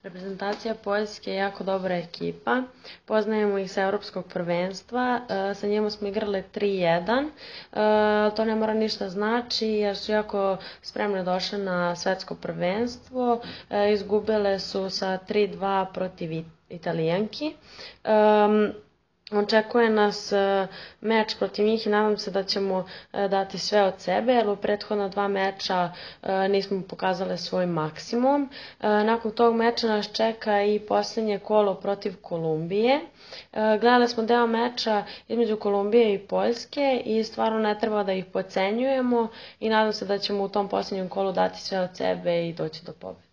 Reprezentacija Poljske je jako dobra ekipa, poznajemo ih sa Evropskog prvenstva, sa njima smo igrali 3-1, to ne mora ništa znači jer su jako spremno došle na svetsko prvenstvo, izgubile su sa 3-2 protiv Italijanki. Očekuje nas meč protiv njih i nadam se da ćemo dati sve od sebe, jer u prethodna 2 meča nismo pokazali svoj maksimum. Nakon tog meča nas čeka i posljednje kolo protiv Kolumbije. Gledali smo deo meča između Kolumbije i Poljske i stvarno ne treba da ih podcenjujemo i nadam se da ćemo u tom posljednjem kolu dati sve od sebe i doći do pobede.